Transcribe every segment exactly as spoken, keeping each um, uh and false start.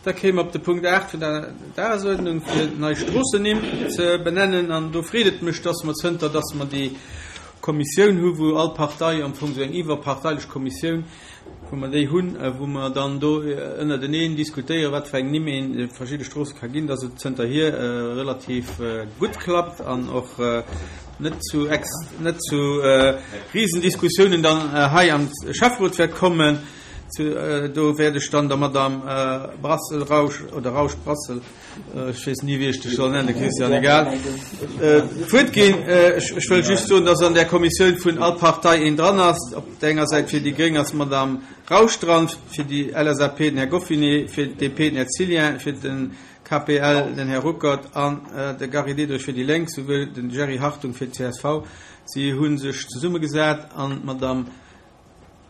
Da kéime mer op de Punkt aacht vun der Dagesuerdnung, fir nei Stroossennimm ze benennen. An do freet et mech, dass mer, zënter dass mer déi Kommissioun hu wou all Partei, am Fong esou eng iwwerparteilech Kommissioun, wou mer déi hunn, wou mer dann do ënnerteneen diskutéieren, wat fir eng Nimm een de verschidde Stroosse ka ginn, dass et zënterhier relativ gutt klappt an och net zu net zu Risendiskussiounen dann hei am Schäfferot wäert kommen. Do wäert ech dann der Madame Brassel-Rausch oder Rausch-Brassel, ech weess ni wéi ech dech soll nennen, Christian, egal, d'Wuert ginn. Ech wëll just soen, dass an där Kommissioun vun all Partei een dran ass. Op der enger Säit fir déi Gréng ass d'Madame Rausch dran, fir déi L S A P den Här Goffinet, fir d'D P den Här Zilien, fir de K P L den Här Ruckert an de Gary Diderich fir déi Lénk, souwéi den Jerry Hartung fir d'C S V. Si hu sech zesummegesat an d'Madame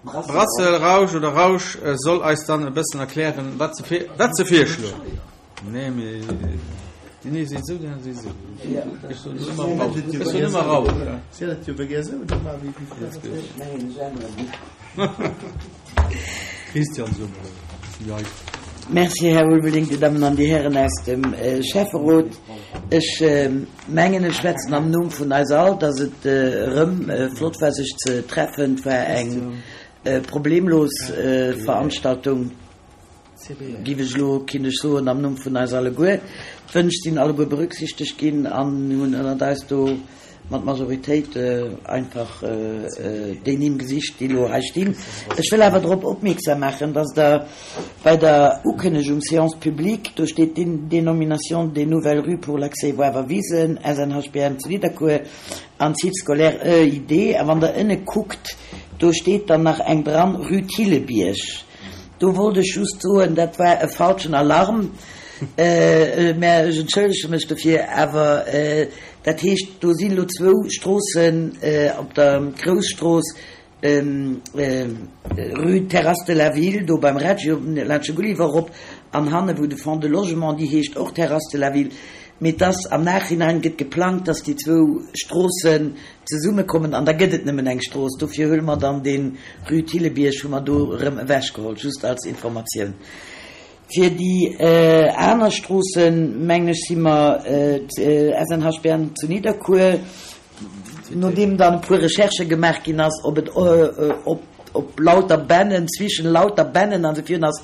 Brassel, Rausch oder Rausch soll eis dann e bëssen erklären, wat se wat se virschloen. Nee, mee déi nee seet esou, déi aner seet esou. Ech soen ëmmer Rausch. Ech soen ëmmer Rausch. Si hat et jo gär esou gemaach wéi Christian, so mol. Merci, Här Ulveling, Dir Dammen an Dir Hären aus dem Schäfferot. Ech mengen, ech schwätzen am Numm vun eis all, dass et erëm flott war, sech ze treffen. Et war eng problemlos Veranstaltung, giff ech elo, kinnt ech soen, am Numm vun eis alleguer. D'Wënsch sinn alleguer berücksichtegt ginn an hunn ënnert eis do mat Majoritéit einfach déi Nimm gesicht, déi elo hei stinn. Ech wëll awer drop opmierksam maachen, dass Der bei der Ukënnegung Séance publique, do steet Dénomination des nouvelles rues pour l'accès Woawer Wisen, S N H B M zu Nidderkuer an Site scolaire E I D, a wann Der ënne kuckt, do steet dann nach eng dran, Rue Thillebierg. Do wollt ech just soen, dat war e falschen Alarm, mä ech entschëllege mech dofir, awer dat heescht, do sinn elo zwou Stroossen op der Grousstrooss, Rue Terrasse de la Ville, do beim Reggio laanscht de Gulliver erop, an hanne wou de Fonds de Logement, déi heescht och Terrasse de la Ville. Mee et ass am Nachhinein gëtt geplangt, dass déi zwou Stroossen zesummekommen an da gëtt et nëmmen eng Strooss. Dofir huele mer dann dee Rue Thillebierg hu mer do erëm ewechgeholl, just als Informatioun. Fir déi aner Stroossen, mengen ech, si mer S N H B N zu Nidderkuer, nodeem dann e puer Recherchë gemaach ginn ass, ob et op op Lauterbännen, zwischen Lauterbännen an esou virun ass,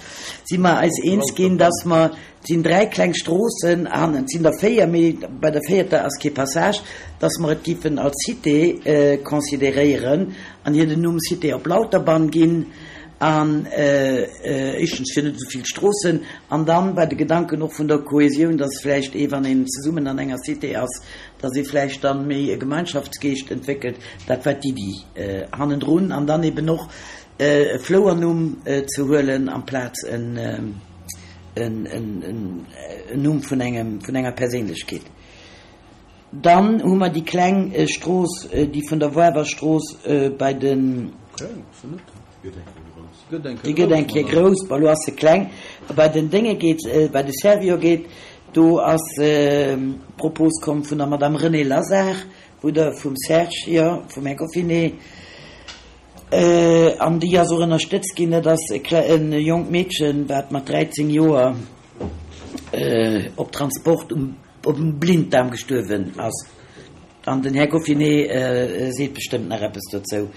si mer eis eens ginn, dass mer, et sinn dräi kleng Stroossen an et sinn der véier, mee bei der véierter ass kee Passage, dass mer et giffen als Cité consideréieren an hir den Numm Cité op Lauterbann ginn, an éischtens fir net esou vill Stroossen an dann bei de Gedanken och vun der Kohesioun, dass vläicht ee wann een zesummen an enger Cité ass, dass ee vläicht dann méi e Gemeinschaftsgeescht entwéckelt. Dat war d'Iddi hannendrun an dann eben och e Flouernumm ze huelen amplaz en en Numm vun engem vun enger Perséinlechkeet. Dann hu mer déi kleng Strooss, déi vun der Woawerstrooss bei den. Déi gëtt eng Kéier grouss, bon elo ass se kleng, bei den Dénge geet, bei de Servior geet. Do ass d'Propos komm vun der Madame Renée Lazard, wou der vum Serge, jo, vum Här Goffinet, an déi ass och ënnerstëtzt ginn. Dat ass e jonkt Meedchen, wat mat dräizéng Joer op Transport um op dem Blinddaarm gestuerwen ass. An den Här Goffinet seet bestëmmt nach eppes dozou.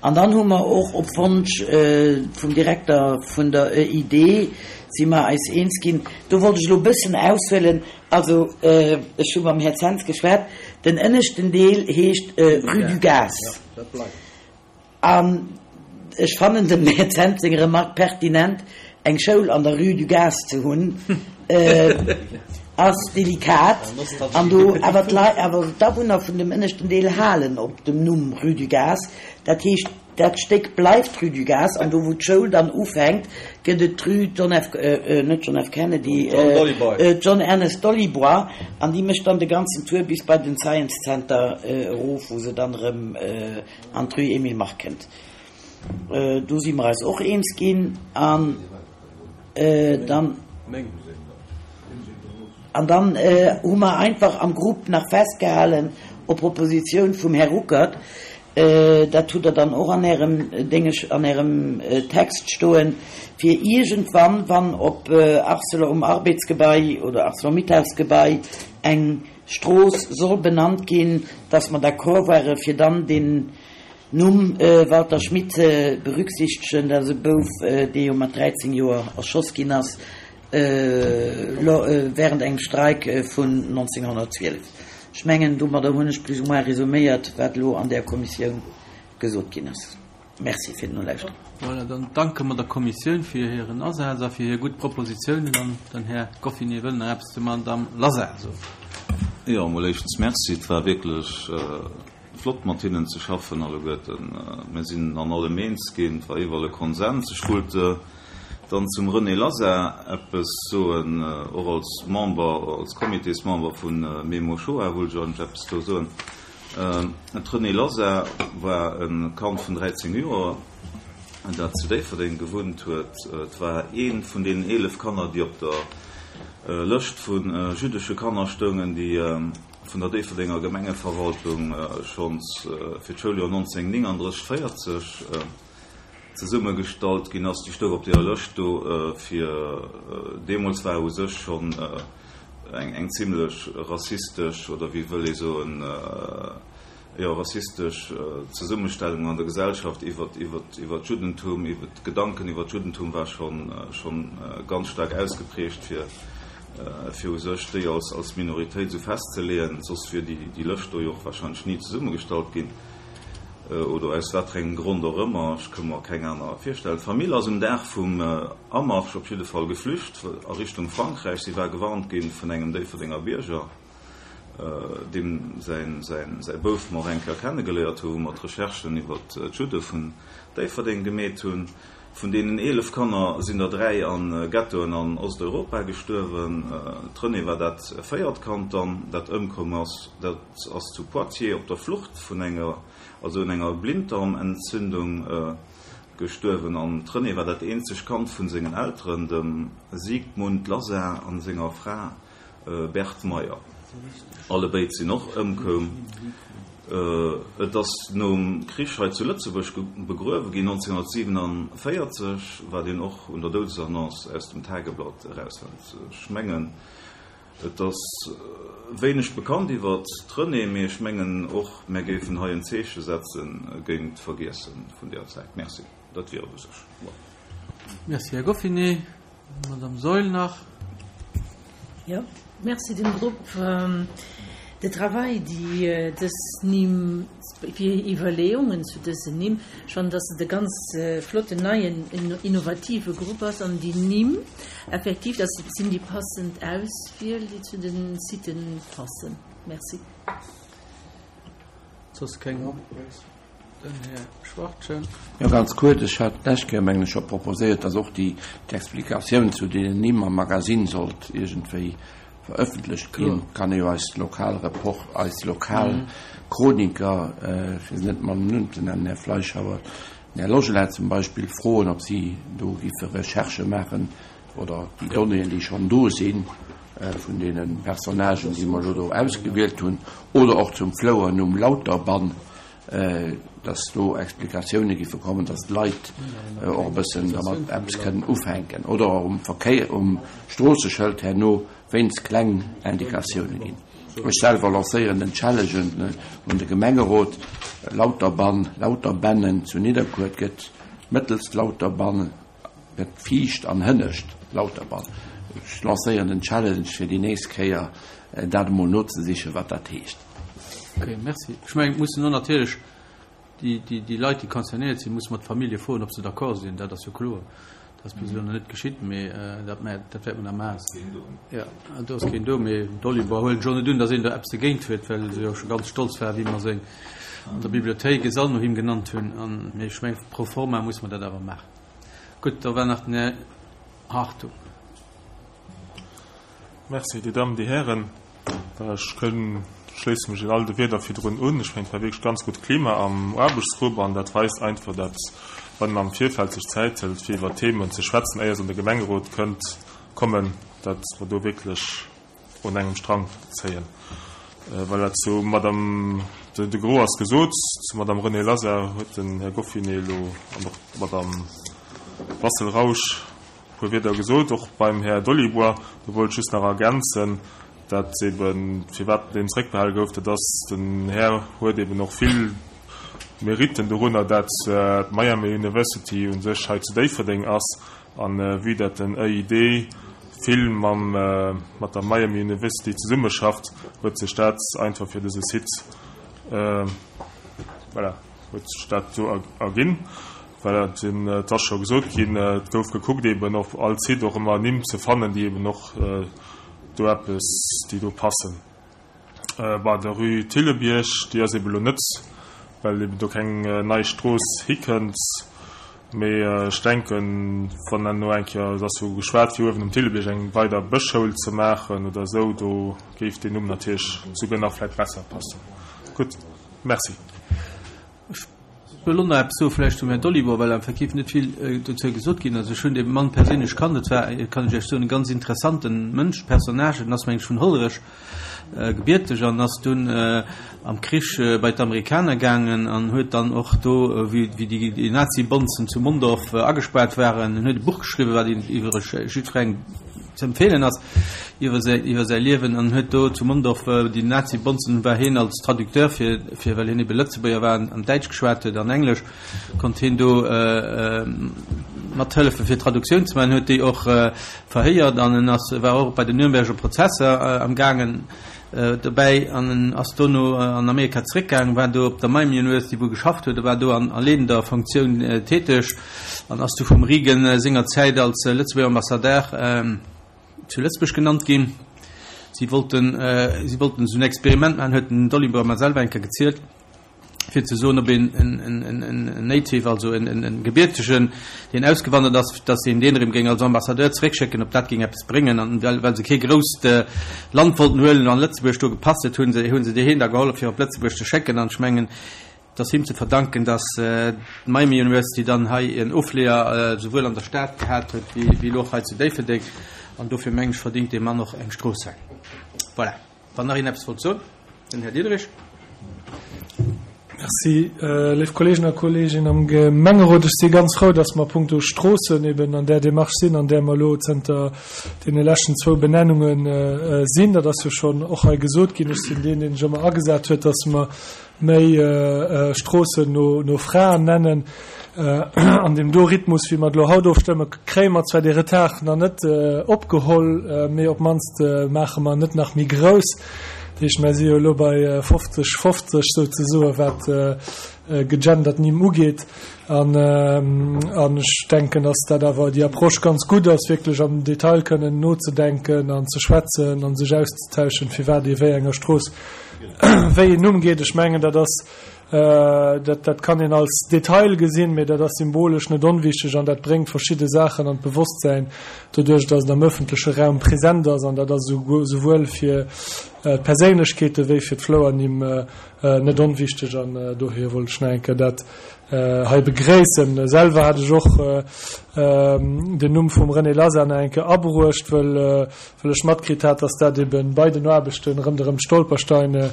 An dann hu mer och op Wonsch vum Direkter vun der E I D si mer eis eens ginn, do wollt ech elo e bëssen aushuelen, also ech hu mam Här Zens geschwat, den ënneschten Deel heescht Rue du Gaz. An ech fannen dem Här Zens seng Remarque pertinent, eng Schoul an der Rue du Gaz ze hunn, ass delikat. An do awer d'Leit, awer d'Awunner vun dem ënneschten Deel halen op dem Numm Rue du Gaz. Dat heescht, dat Stéck bleift Rue du Gaz an do wou d'Schoul dann ufänkt, gëtt et d'Rue John F, net John F. Kennedy, John Ernest Dolibois an déi mécht dann de ganzen Tour bis bei den Science Center erof, wou se dann erëm an d'Rue Emile Mark kënnt. Do si mer eis och eens ginn an dann. An dann hu mer einfach am Grupp nach festgehalen, op Propositioun vum Här Ruckert, Dat hutt Der dann och an Ärem Déngesch, an Ärem Text stoen, fir iergendwann, wann op Arcelor, um Arbeds-Gebai oder Arcelor-Mittalsgebai eng Strooss soll benannt ginn, dass mer d'accord ware fir dann deen Numm Walter Schmit ze berücksichtegen. Dat ass e Bouf, dee jo mat dräizéng Joer erschoss ginn ass während engem Streik vun nonzénghonnertzwielef. Ech mengen, domadder hunn ech plus ou moins resuméiert, wat elo an där Kommissioun gesot ginn ass. Merci fir d'Nolauschteren. Voilà, dann danke mer der Kommissioun fir hiren Asaz a fir hir gutt Propositionen. An den Här Goffinet wëll nach eppes zur Madame Lazar soen. Jo, emol éischtens Merci. Et war wierklech flott, mat hinnen ze schaffen alleguerten. Mir sinn an allem eens ginn. Et war iwwerall e Konsens. Ech wollt dann zum René Lazar eppes soen, och als Member, als Comitésmember vu Memo Shoah wollt ech eigentlech eppes do soen. D'Renée Lazar war e Kand vun dräizéng Joer, dat zu Déifferdeng gewunnt huet. Et war eent vun deenen eelef Kanner, déi op der Lëscht vu jüddesche Kanner stoungen, déi vun der Déifferdenger Gemengeverwaltung schonns fir d'Schouljoer nonzénhunnertnénganddrësseg véierzeg zesummegestallt ginn ass. Déi stoung op deeër Lëscht do fir. Deemools war u sech schonn eng eng zimlech rassistesch, oder wéi wëll ee soen, jo, rassistesch Zesummestellung an der Gesellschaft iwwer iwwer iwwer d'Juddentum, iwwer d'Gedanken iwwer d'Juddentum war schonn schonn ganz staark ausgeprägt, fir fir u sech déi als als Minoritéit esou festzeleeën, soss wier déi déi Lëscht do jo och wahrscheinlech ni zesummegestallt ginn, oder aus waterengem Grond och ëmmer, ech ka mer keng aner virstellen. D'Famill ass um Dag vum Amarsch op jidde Fall geflücht a Richtung Frankräich. Si war gewarnt ginn vun engem Déifferdenger Bierger, deem säin säin säi Bouf mer och eng Kéier kennegeléiert hu wou mer d'Recherchen iwwer d'Judde vun Déifferdeng gemeet hunn. Vun deenen eelef Kanner sinn der dräi a Ghettoen an Osteuropa gestuerwen. D'Renée war dat véiert Kand dann, dat ëmkomm ass. Dat ass zu Poitiers op der Flucht vun enger, also un enger Blinddarmentzündung gestuerwen. An d'Renée war dat eenzegt Kand vun sengen Elteren, dem Siegmund Lazar an senger Fra Berthe Meyer. Allebéid sinn och ëmkoum. Et ass nom Krich hei zu Lëtzebuerg begruewe ginn, nonzénhunnertsiewenanvéierzeg, wat een och un der Doudesannonce aus dem Tageblatt erausfënnt. Ech mengen, et ass wéineg bekannt iwwer d'Renée, mee ech mengen och, mär géifen hei en Zeeche setze géint d'Vergiesse vun deeër Zäit. Merci, dat wier et u sech. Voilà. Merci, Här Goffinet. D'Madame Saeul nach. Jo, merci dem Grupp de travail, déi dës Nimm, fir Iwwerleeungen zu dësen Nimm. Ech fannen, dass et e ganz flotten, neien, innovative Grupp ass an déi Nimm effektiv, dat sinn déi passend Auswiel, déi zu de Siten passen. Merci. Soss keng? Den Här Schwachtgen. Jo, ganz kuerz, Ech hat d'lescht Kéier, mengen ech, scho proposéiert, dass och déi d'Explikatioun zu deenen Nimm am Magasinn sollt iergendwéi verëffentlecht ginn. Kann ee jo eis lokal Report, eis lokal Chroniker, fir se net mam Numm ze nennen, Här Fleischhauer, den Här Logelet zum Beispill, froen, ob si do giffe Recherchë maachen oder déi Donnéeën, déi schonn do sinn, vun deene Personnagen, déi mer elo do ausgewielt hunn, oder och zum Flouernumm Lauterbann, dass do Explikatioune giffe kommen, dass d'Leit och e bëssen dermat eppes kënnen ufänken oder och um Verkéier, um Stroosseschëld herno wéinst kleng Indikatioune ginn. Ech selwer lancéieren den Challenge un de Gemengerot, Lauterbann, Lauterbennen zu Nidderkuer, et gëtt mëttelst Lauterbann, gëtt viischt an hënnescht Lauterbann. Ech lancéieren den Challenge fir déi nächst Kéier dat emol nozesichen, wat dat heescht. Ok, merci. Ech mengen, et mussen och natierlech déi, déi, déi Leit, déi concernéiert sinn, musse mer d'Famillje froen, ob se d'accord sinn. Dat ass jo kloer. Dat ass bis elo nach net geschitt, mee dat mä, dat wäerte mer nach maachen. Jo, do ass keen do, mee d'Oliver huelen ech och net un, datt een do eppes dogéint huet, well se jo scho ganz stolz war, wéi mer seng an der Bibliothéik e Sall no him genannt hunn. An, mee ech mengen, pro forma musse mer dat awer maachen. Gutt, da war nach den Här Hartung. Merci, Dir Dammen, Dir Hären. Ech kënn, schléisse mech all de Wierder virdrun un. Ech mengen, et war wierklech ganz gutt Klima am Aarbechtsgrupp an dat weist einfach, dat wann een am Virfeld sech Zäit hëlt, fir iwwer Themen ze schwätzen, éier se an de Gemengerot kënnt kommen, dat mer do wierklech un engem Strang zéien. Voilà, zu Madame De, de Gros ass gesot. Zur Madame Renée Lasar huet den Här Goffinet elo an och d'Madame Brassel-Rausch e puer Wierder gesot. Och beim Här Dolibois, do wollt ech just nach ergänzen, dat eben, firwat deen zréckbehale gouf, dat ass, den Här huet eben och vill Meritten dorunner, dat d'Miami University u sech hei zu Déifferdeng ass an vue dat den E I D vill mam, mat der Miami University zesummeschafft, huet sech dat einfach fir dëse Site, voilà, huet sech dat do erginn. Voilà, den, et ass scho gesot ginn, et gouf gekuckt eben op all Site och ëmmer Nimm ze fannen, déi eben och do eppes, déi do passen. Bei der Rue Thillebierg, déi ass eben elo net, well eben do keng nei Strooss hikënnt, mee ech denken, wann dann no eng Kéier, et ass jo geschwat fir uewen um Thillebierg eng weider Bëschschoul ze maachen oder esou, do géif deen Numm natierlech souguer nach vläicht besser passen. Gutt, merci. Ech wëll och nach eppes soe vläicht zum Här Dolibois, well effektiv net vill dozou gesot ginn ass. Ech hunn dee Mann perséinlech kannt, et war, kann ech Iech soen, e ganz interessanten Mënsch, Personnage. En ass, meng ech, vun Hollerech gebierteg an ass dunn am Krich bei d'Amerikaner gaangen an huet dann och do, wéi déi Nazi-Bonzen zu Mondorf agespaart waren, en huet e Buch geschriwwen, wat iwwereg jiddwerengem ze empfeelen ass, iwwer säi, iwwer säi Liewen an huet do zu Mondorf déi Nazi-Bonzen, war hien als Traducteur fir, fir well hien ebe Lëtzebuerger war an Däitsch geschwat huet an Englesch, konnt hien do mathëllefe fir Traduktioun ze maachen, huet déi och verhéiert an en ass, war och bei den Nürnberger Prozesser am gaangen dobäi an en ass dono an Amerika zeréckgaangen, war do op der Miami University, wou e geschafft huet, e war do an a leedender Funktioun täteg an ass du vum Reagan senger Zäit als Lëtzebuerger Ambassadeur zu Lëtzebuerg genannt ginn. Si wollten, si wollten esou en Experiment maachen, huet den Dolibois mer selwer eng Kéier gezielt, fir ze soen, ob een en Native, also en Gebiertegen, deen ausgewandert ass, datt een deen erëm géing als Ambassadeur zeréckschécken, ob dat géing eppes bréngen. An well, well se kee grousst Land wollten huelen an Lëtzebuerg do gepasst huet, hu se, hu se deen da gehollef, fir op Lëtzebuerg ze schécken. An ech mengen, et ass him ze verdanken, datt d'Miami University dann hei en Ofleeër souwuel an der Stad gehat huet, wéi, wéi elo och hei zu Déifferdeng. An dofir mengen ech, verdingt dee Mann och eng Strooss hei. Voilà. Wann nach een eppes wollt soen, den Här Diederich. Merci, léif Kolleegen a Kolleeginnen am Gemengerot. Ech si ganz frou, dass mer punkto Stroossen eben an där Démarche sinn, an där mer elo zënter deene leschten zwou Benennunge sinn. Dat ass jo schonn och hei gesot ginn. Ech sinn deen, deen sech ëmmer agesat huet, dass mer méi Stroossen no Fraen nennen. An deem do Rhythmus, wéi mer et elo haut ofstëmmen, kréie mer zwar dee Retard nach net opgeholl, mee op d'mannst maache mer en net nach méi grouss. Dat heescht, mer si jo elo bei fofzeg fofzeg souzesoen, wat gegendert Nimm ugeet. An ech denken, dass dat awer déi Approche ganz gutt ass, wierklech am Detail kënnen nozedenken an ze schwätzen an sech auszetauschen, firwat ee wéi enger Strooss wéi een Numm geet. Ech mengen, dat ass, dat, dat kann een als Detail gesinn, mee dat ass symbolesch net onwichtig an dat bréngt verschidde Saachen an d'Bewosstsäin, doduerch, dass et am öffentleche Raum present ass. An dat ass esouwuel fir d'Perséinlechkeete wéi fir d'Flouernimm net onwichtig. An dohier wollt ech nach eng Kéier dat hei begréissen. Selwer hat ech och den Numm vum René Lasar nach eng Kéier abruecht, wëll ech matkritt hat, dass dat eben bei den Aarbechten ronderëm d'Stolpersteine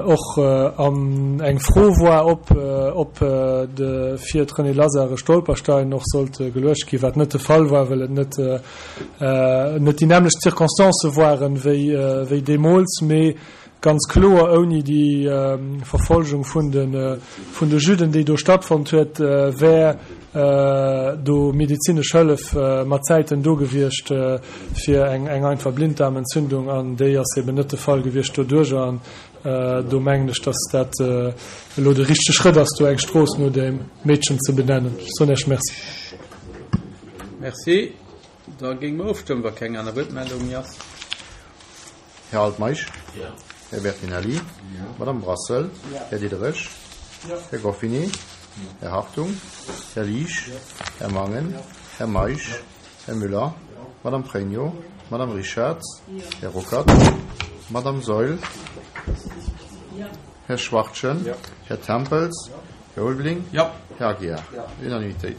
och an eng Fro war, ob ob de fir d'René Lasar e Stolperstein och sollt geluecht ginn, wat net de Fall war, well et net net déi nämmlecht Circonstancë waren wéi wéi deemools, mee ganz kloer ouni déi Verfolgung vun de vun de Judden, déi do stattfonnt huet, wär do medezinesch Hëllef mat Zäiten do gewiescht fir eng eng einfach Blinddarmentzündung, an déi ass eben net de Fall gewiescht doduerch. An do mengen ech, dass dat elo de richtege Schrëtt ass, do eng Strooss no deem Meedchen ze benennen. Ech soen Iech Merci. Merci. Da géinge mer ofstëmmen, wa keng aner Wuertmeldung méi ass. Här Altmeisch? Jo. Här Bertinelli? Jo. Madame Brassel? Jo. Här Diderich? Jo. Här Goffinet? Jo. Här Hartung? Jo. Här Liesch? Jo. Här Mangen? Jo. Här Meisch? Jo. Här Müller? Jo. Madame Pregno? Jo. Madame Richards? Jo. Här Ruckert? Jo. Madame Saeul? Jo. Här Schwachtgen? Jo. Här Tempels? Jo. Här Ulveling? Jo. Här Aguiar? Jo. Unanimitéit.